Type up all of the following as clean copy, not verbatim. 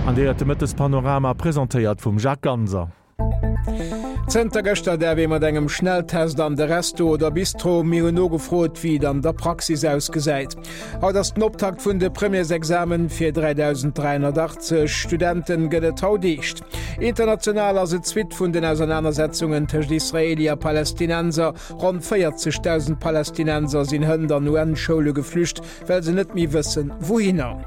An Dir héiert de Mëttespanorama, presentéiert vum Jacques Ganser. Zënter gëschter däerf ee mat engem Schnelltest an de Resto oder Bistro. Mir hunn nogefrot, wéi et an der Praxis ausgesäit. Haut ass den Optakt vun de Premièresexamen. Fir 3.380 Studenten gëtt et haut eescht. International ass et d'Suite vun den Ausernanersetzungen tëscht Israeli a Palästinenser. Ronn 40.000 Palästinenser sinn hënt an UN-Schoule geflücht, well se net méi wëssen, wouhinner.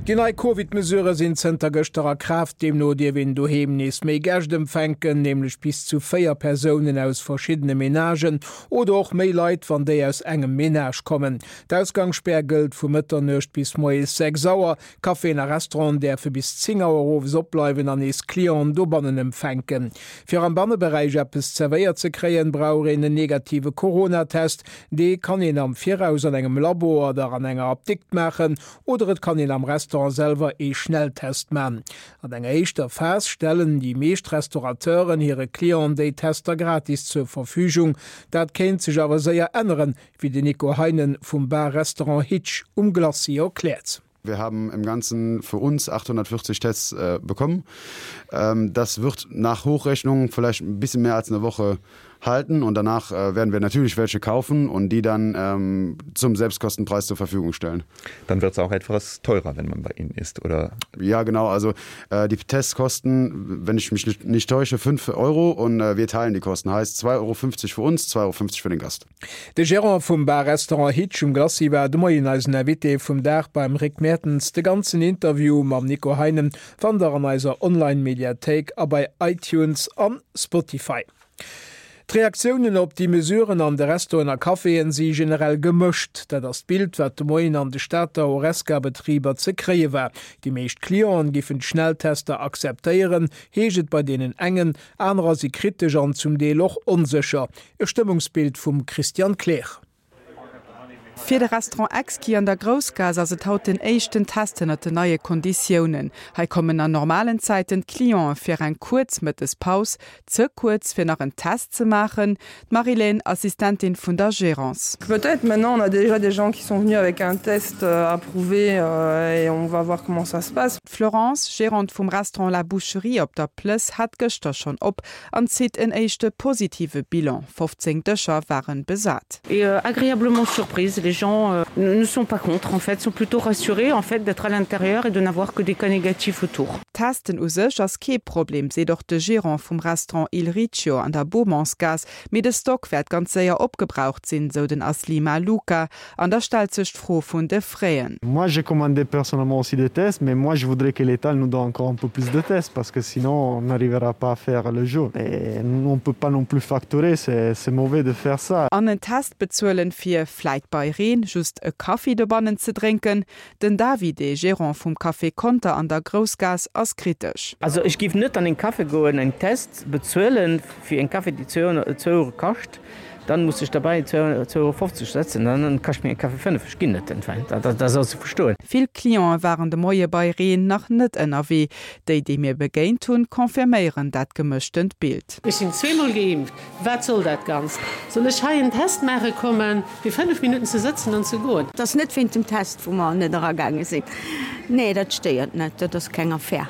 Déi nei Covid-Mesurë sinn zënter gëschter a Kraaft. Deemno dierf een doheem nees méi Gäscht empfänken, nämlech bis zu 4 Persounen aus verschiddene Menagen oder och méi Leit, wann déi aus engem Menage kommen. D'Ausgangsspär gëllt vu Mëtternuecht bis moies 6 Auer. Caféen a Restauranten däerfe bis 10 Auer owes opbleiwen an nees Clienten dobannen empfänken. Fir am Banneberäich eppes zerwéiert ze kréien, brauch een en negative Corona-Test. Dee kann een am Viraus an engem Labo oder an enger Apdikt maachen oder et kann een am Restaurant selwer ee Schnelltest man. An enger éischter Phas stellen déi meescht Restaurateuren hire Clienten déi Tester gratis zur Verfügung. Dat kéint sech awer séier änneren, wéi den Nico Heinen vum Bar-Restaurant Hitch um Glacis erkläert. Wir haben im Ganzen für uns 840 Tests äh, bekommen. Ähm, das wird nach Hochrechnung vielleicht ein bisschen mehr als eine Woche halten und danach äh, werden wir natürlich welche kaufen und die dann ähm, zum Selbstkostenpreis zur Verfügung stellen. Dann wird es auch etwas teurer, wenn man bei Ihnen ist oder? Ja genau, also äh, die Tests kosten, wenn ich mich nicht, nicht täusche, 5 Euro und äh, wir teilen die Kosten. Heißt 2,50 Euro für uns, 2,50 Euro für den Gast. De Gerant vum Bar-Restaurant Hitch um Glacis war de Moien eisen Invité vum Dag beim Rick Mertens. De ganzen Interview mam Nico Heinen fannt der an eiser Online-Mediathéik a bei iTunes an Spotify. D'Reaktiounen op déi Mesuren an de Restauranten a Caféen si generell gemëscht. Dat ass d'Bild, wat de Moien an de Stater Horesca-Betriber ze kréie war. Déi meescht Clienten giffen d'Schnelltester akzeptéieren, heescht et bei deenen engen. Anerer si kritesch an zum Deel och onsécher. E Stëmmungsbild vum Christian Kleer. Fir de Restaurant Exki an der Groussgaass ass et haut den éischten Test ënnert den neie Konditiounen. Hei kommen an normalen Zäiten d'Clienten fir eng kuerz Mëttespaus, ze kuerz fir nach en Test ze maachen. D'Marilène, Assistentin vun der Gérance. Peut-être, maintenant on a déjà des gens qui sont venus avec un test approuvé et on va voir comment ça se passe. D'Florence, Gérante vum Restaurant La Boucherie op der Plëss, hat gëschter schonn op An zitt en éischte positive Bilan, 15 Dëscher waren besat. Et agréablement surprise, les gens ne sont pas contre en fait, sont plutôt rassurés en fait d'être à l'intérieur et de n'avoir que des cas négatifs autour. Testen u sech ass kee Problem, seet och de Gerant vum Restaurant Il Riccio an der Beaumontsgaass, mee de Stock wäert ganz séier opgebraucht sinn, sou den Aslima Luka. An da stellt sech d'Fro vun de Fräen. Moi j'ai commandé personnellement aussi des tests, mais moi je voudrais que l'État nous donne encore un peu plus de tests parce que sinon on n'arrivera pas à faire le jeu et on peut pas non plus facturer, c'est c'est mauvais de faire ça. An en Test bezuelen fir, vläit bei Reen, just e Kaffi dobannen ze drénken? Den Davide, Gerant vum Café Conter an der Groussgaass, ass kritesch. Also ech géif net an en Café goen, en Test bezuelen fir en Café dee zwou Euro kascht. Dann muss ech derbäi 2,50 Euro setzen, dann kascht mir e Kaffi 5. Ech ginn net entwäin, dat ass ze verstoen. Vill Cliente waren de Moie bei Reen nach net ënnerwee. Déi, déi mir begéint hunn, confirméieren dat gemëschtent Bild. Ech sinn zweemol geimpft, wat soll dat Ganzt? Soll ech hei en Test maache kommen, fir 5 Minutten ze sëtzen an ze goen? Et ass net wéint dem Test, wou mer net eragaange sinn. Nee, dat stéiert net, dat ass keng Affär.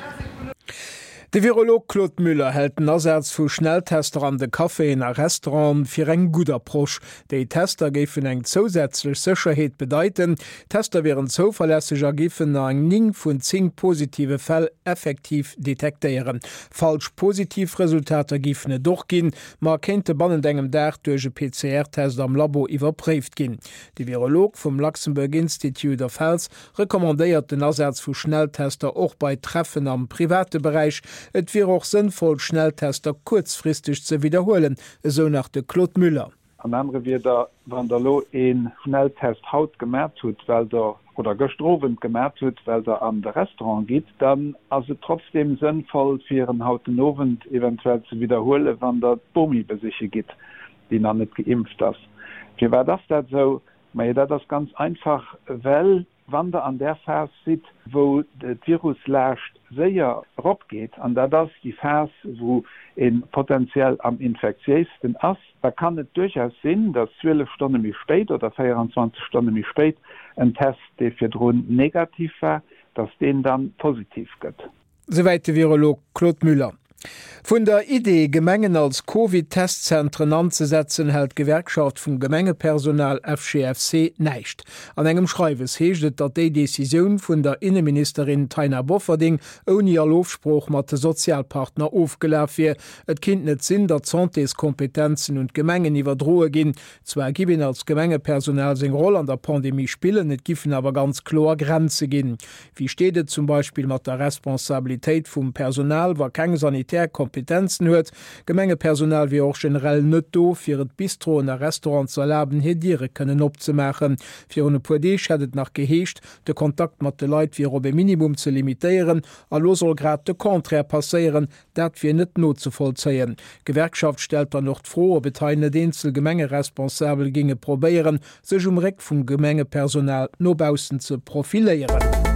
De Virolog Claude Müller hält den Asaz vu Schnelltester an de Caféen a Restauranten fir eng gutt Approche. Déi Tester géifen eng zousätzlech Sécherheet bedeiten. D'Tester wieren zouverlässeg a géifen an 9 vun 10 positive Fäll effektiv detektéieren. Falsch positiv Resultater géifen et och ginn, ma kéinte bannent engem Dag duerch e PCR-Test am Labo iwwerpréift ginn. De Virolog vum Luxembourg Institute of Health Recommandéiert den Asaz vu Schnelltester och bei Treffen am private Beräich. Et wier och sënnvoll, Schnelltester kuerzfristeg ze widderhuelen, esou nach de Claude Müller. An anere Wierder, wann Der elo ee Schnelltest haut gemat hutt, well Der, oder gëschter Owend gemat hutt, well Der an de Restaurant gitt, dann ass et trotzdeem sënnvoll, fir en haut den Owend eventuell ze widderhuelen, wann Der d'Bomi besiche gitt, déi nach net geimpft ass. Firwat ass dat esou? Majo, dat ass ganz einfach, well wann Der an där Phas sidd, wou d'Viruslaascht séier eropgeet, an dat ass déi Phas, wou ee potenziell am infektiéisten ass, da kann et duerchaus sinn, datt 12 Stonne méi spéit oder 24 Stonne méi spéit en Test, dee virdrun negativ war, dass deen dann positiv gëtt. Souwäit de Virolog Claude Müller. Vun der Idee, Gemengen als Covid-Testzentren anzesetzen, hält d'Gewerkschaft vum Gemengepersonal FGFC näischt. An engem Schreiwes heescht et, datt déi Decisioun vun der Inneministerin Taina Bofferding ouni all Ofsprooch mat de Sozialpartner ofgelaf wier. Et kinnt net sinn, datt d'Santéskompetenzen un d'Gemengen iwwerdroe ginn. Zwar giff een als Gemengepersonal seng Roll an der Pandemie spillen, et giffen awer ganz kloer Grenze ginn. Wéi steet et zum Beispill mat der Responsabilitéit vum Personal, wa keng sanitär Kompetenzen huet? Gemengepersonal wier och generell net do, fir et Bistroen a Restauranten ze erlaben, hir Diere kënnen opzemaachen. Virun e puer Deeg hätt et nach geheescht, de Kontakt mat de Leit wier op e Minimum ze limitéieren. A lo soll grad de Contraire passéieren, Dat wier net nozevollzéien. D'Gewerkschaft stellt dann och d'Fro, ob et hei net eenzel Gemengeresponsabel géinge probéieren, sech um Réck vum Gemengepersonal no baussen ze profiléieren.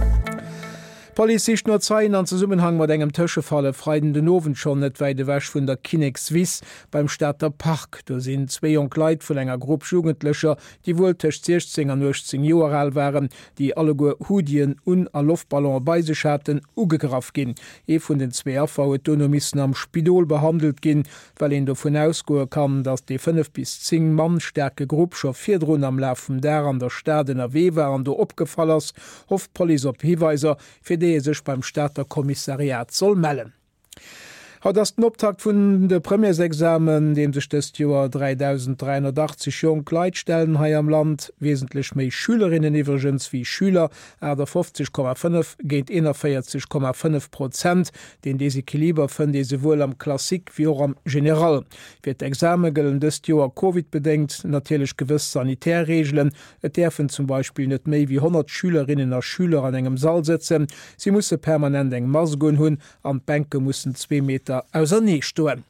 D'Police sicht no Zeien an Zesummenhang mat engem Tëschefall e Freiden den Owend schonn net wäit ewech vun der Kinnekswiss beim Stater Park. Do sinn zwee jonk Leit vun enger Grupp Jugendlecher, déi wuel tëscht 16 an 18 Joer al waren, déi alleguer Hoodien un a Loftballone bei sech haten, ugegraff ginn. Ee vun den zwee Affer huet dono missen am Spidol behandelt ginn. Well een dovun ausgoe kann, datt dee 5 bis 10 Mann staarke Grupp scho virdrun am Laf vum Dag an der Stad ënnerwee war an do opgefall ass, hofft d'Police op Hiweiser, fir déi ee sech beim Stater Kommissariat soll mellen. Haut ass den Optakt vun de Premièresexamen, deem sech dëst Joer 3.380 jonk Leit stellen hei am Land. Wesentlech méi Schülerinnen iwwregens wéi Schüler, 58,5 géint 41,5 Prozent. Deen Desequiliber fënnt ee souwuel am Classique wéi och am General. Fir d'Exame gëllen dëst Joer Covid-bedéngt natierlech gewëss sanitär Reegelen. Et däerfen zum Beispill net méi wéi 100 Schülerinnen a Schüler an engem Sall sëtzen, si musse permanent eng Mask unhunn an d'Bänke mussen zwee Meter ausernee stoen.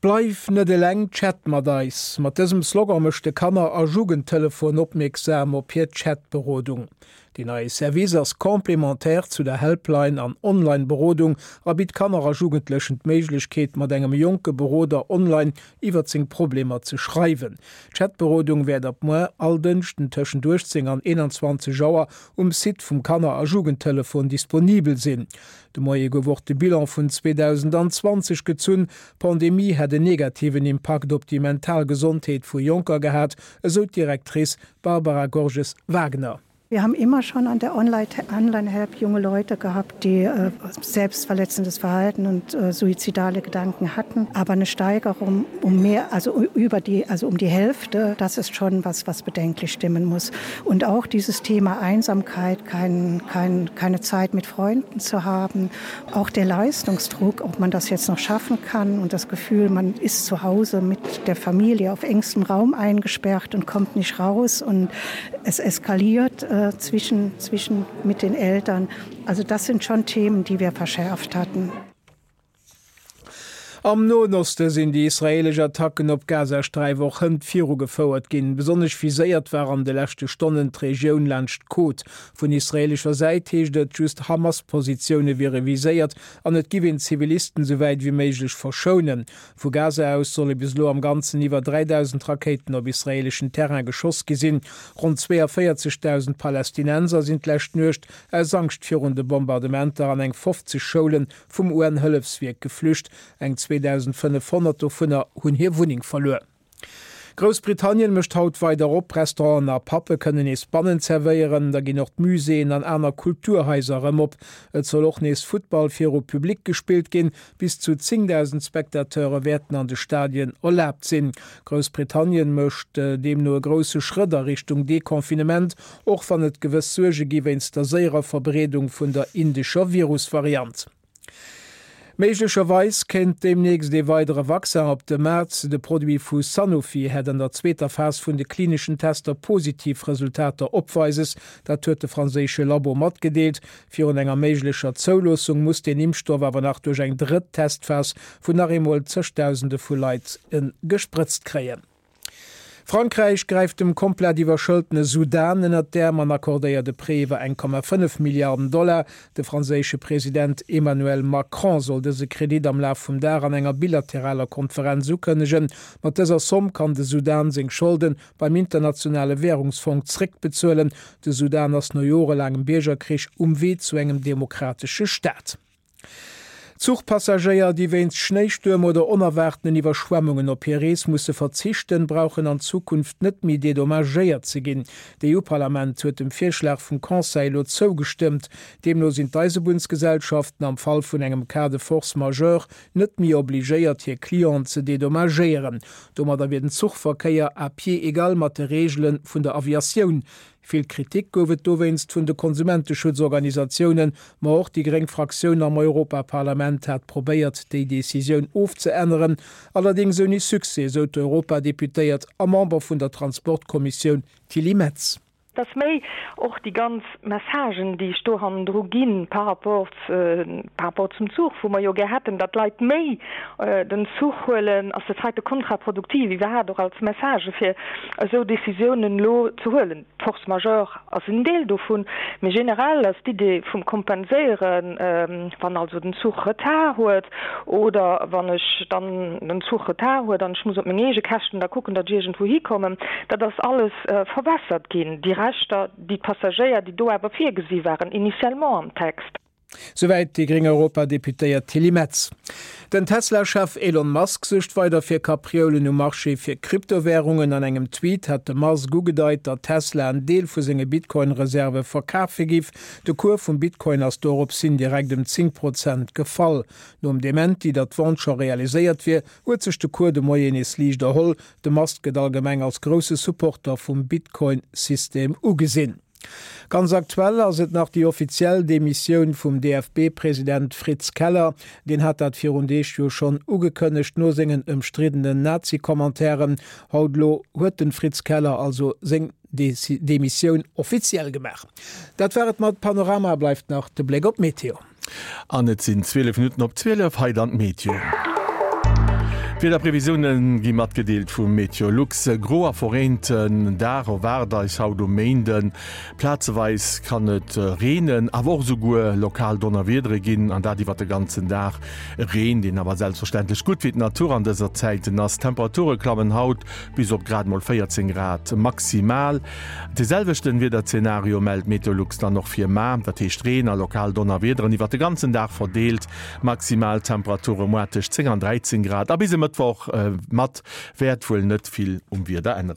Bleif net eleng, chat mat eis! Mat dësem Slogan mécht de Kanner a Jugendtelefon opmierksam op hir Chat-Berodung. Deen neie Service ass complémentaire zu der Helpline an Online-Berodung a bitt Kanner a Jugendlechen d'Méiglechkeet, mat engem jonke Beroder online iwwert seng Problemer ze schreiwen. D'Chat-Berodung wäert ab muer all Dënschden tëschent 18 an 21 Auer um Site vum Kanner a Jugendtelefon disponibel sinn. De Moie gouf och de Bilan vun 2020 gezunn. D'Pandemie hätt en negativen Impakt op déi mental Gesondheet vu Jonker gehat, esou d'Directrice Barbara Gorges-Wagner. Wir haben immer schon an der Online-Help junge Leute gehabt, die äh, selbstverletzendes Verhalten und äh, suizidale Gedanken hatten. Aber eine Steigerung um mehr, also über die, also um die Hälfte, das ist schon was, was bedenklich stimmen muss. Und auch dieses Thema Einsamkeit, kein, kein, keine Zeit mit Freunden zu haben, auch der Leistungsdruck, ob man das jetzt noch schaffen kann und das Gefühl, man ist zu Hause mit der Familie auf engstem Raum eingesperrt und kommt nicht raus und es eskaliert äh, zwischen, zwischen mit den Eltern. Also das sind schon Themen, die wir verschärft hatten. Am Noen Oste sinn déi israeelesch Attacken op d'Gazasträif och hënt virugefouert ginn. Besonnesch viséiert war an de leschte Stonnen d'Regioun laanscht d'Côte. Vun israeelescher Säit heescht et, just Hamas-Positioune wiere viséiert an et giff een d'Zivilisten esou wäit ewéi méiglech verschounen. Vu Gaza aus solle bis elo am Ganzen iwwer 3.000 Rakéiten op israeeleschen Terrain geschoss gi sinn. Ronn 42.000 Palästinenser sinn d'lescht Nuecht aus Angscht virun de Bombardementer an eng 50 Schoulen vum UN-Hëllefswierk geflücht. Eng 2.500 dovunner hunn hir Wunneng verluer. Groussbritannien mécht haut weider op, Restauranten a Pubbe kënnen nees bannen zerwéieren. Da ginn och d'Muséeën an aner Kulturhaiser erëm op. Et soll och nees Futtball viru Public gespillt ginn. Bis zu 10.000 Spectateure wäerten an de Stadien erlaabt sinn. Groussbritannien mécht deemno e grousse Schrëtt a Richtung Deconfinement, och wann et gewëss Suerge gi wéinst der séierer Verbreedung vun der indescher Virusvariant. Méiglecherweis kéint deemnächst ee weidere Vaccin op de Maart. De Produit vu Sanofi hätt an der zweeter Phas vun de klineschen Tester positiv Resultater opweises. Dat huet de franséische Labo matgedeelt. Virun enger méiglecher Zouloossung muss deen Impfstoff awer nach duerch eng drëtt Testphas vun nach eemol zegdausende vu Leit gesprëtzt kréien. Frankräich gräift dem komplett iwwerschëltene Sudan ënnert d'Äerm an accordéiert e Prêt iwwer 1,5 Milliarden Dollar. De franséische President Emmanuel Macron soll dëse Kredit am Laf vum Dag an enger bilateraler Konferenz ukënnegen. Mat dëser Somm kann de Sudan seng Scholde beim Internationale Wärungsfong zréckbezuelen. De Sudan ass no jorelaangem Biergerkrich um Wee zu engem demokratesche Staat. Zuchpassagéier, déi wéinst Schnéistuerm oder onerwaartenen Iwwerschwemmungen op hir Rees musse verzichten, brauchen an Zukunft net méi dedommagéiert ze ginn. D'EU-Parlament huet dem Virschlag vum Conseil elo zougestëmmt. Deemno sinn d'Eisebunnsgesellschaften am Fall vun engem Cas de force majeure net méi obligéiert, hir Clienten ze dedommagéieren. Domadder wier den Zuchverkéier à pied égal mat de Reegele vun der Aviatioun. Vill Kritik gouf et dowéinst vun de Konsumenteschutzorganisatiounen, ma och déi gréng Fraktioun am Europaparlament hat probéiert, déi Decisioun ofzeänneren, allerdéngs ouni Succès, esou d'Europadeputéiert a Member vun der Transportkommissioun Tilly Metz. Et ass méi och déi ganz Messagen, déi ech do hannendru ginn par rapport, par rapport zum Zuch, wou mer jo gär hätten, datt d'Leit méi den Zuch huelen, ass dat heite kontraproduktiv iwwerhaapt och als Message fir esou Décisiounen elo ze huelen. D'Force majeure ass en Deel dovun, mee generell ass d'Idee vum Kompenséieren, wann also den Zuch Retard huet oder wann ech dann den Zuch Retard huet an ech muss op meng eege Käschten da kucken, datt ech iergendwou hikommen, dat ass alles verwässert ginn, déi Rechter, déi d'Passagéier, déi do awer virgesi waren initialement am Text. Souwäit déi gréng Europadeputéiert Tilly Metz. Den Tesla-Chef Elon Musk suergt weider fir Kaprioulen um Marché fir Kryptowärungen. An engem Tweet hat de Musk ugedeit, datt Tesla en Deel vu senge Bitcoin-Reserve verkafe giff. De Cours vum Bitcoin ass dorops hin direkt ëm 10 Prozent gefall. Nom Dementi, datt d'Vente scho realiséiert wier, huet sech de Cours de Moien nees liicht erholl. De Musk gëtt allgemeng als grousse Supporter vum Bitcoin-System ugesinn. Ganz aktuell ass et nach déi offiziell Demissioun vum DFB-President Fritz Keller. Deen hat dat virun Deeg jo schonn ugekënnegt, no sengen ëmstriddenen Nazi-Commentairen. Haut elo huet den Fritz Keller also seng Demissioun offiziell gemaach. Dat war et mat Panorama. Bleift nach de Bléck op d'Meteo. An et sinn 12 Minutten op 12, hei dann d'Meteo. D'Wiederprevisioune gi matgedeelt vu Meteolux. E gro a verreenten Dag erwaart eis haut um Méinden. Plazeweis kann et reenen, awer och esouguer lokal Donnerwiedere ginn, an dat iwwert de ganzen Dag. E Reen, deen awer selbstverständlech gutt fir d'Natur an dëser Zäiten ass. D'Temperature klammen haut bis op grad mol 14 Grad maximal. De selwechten Wiederzenario mellt Meteolux dann och fir mar, dat heescht Reen a lokal Donnerwiederen iwwert de ganzen Dag verdeelt. Maximaltemperature moar tëscht 10 an 13 Grad a bis e Mëttwoch mat wäert wuel net vill um Wieder änneren.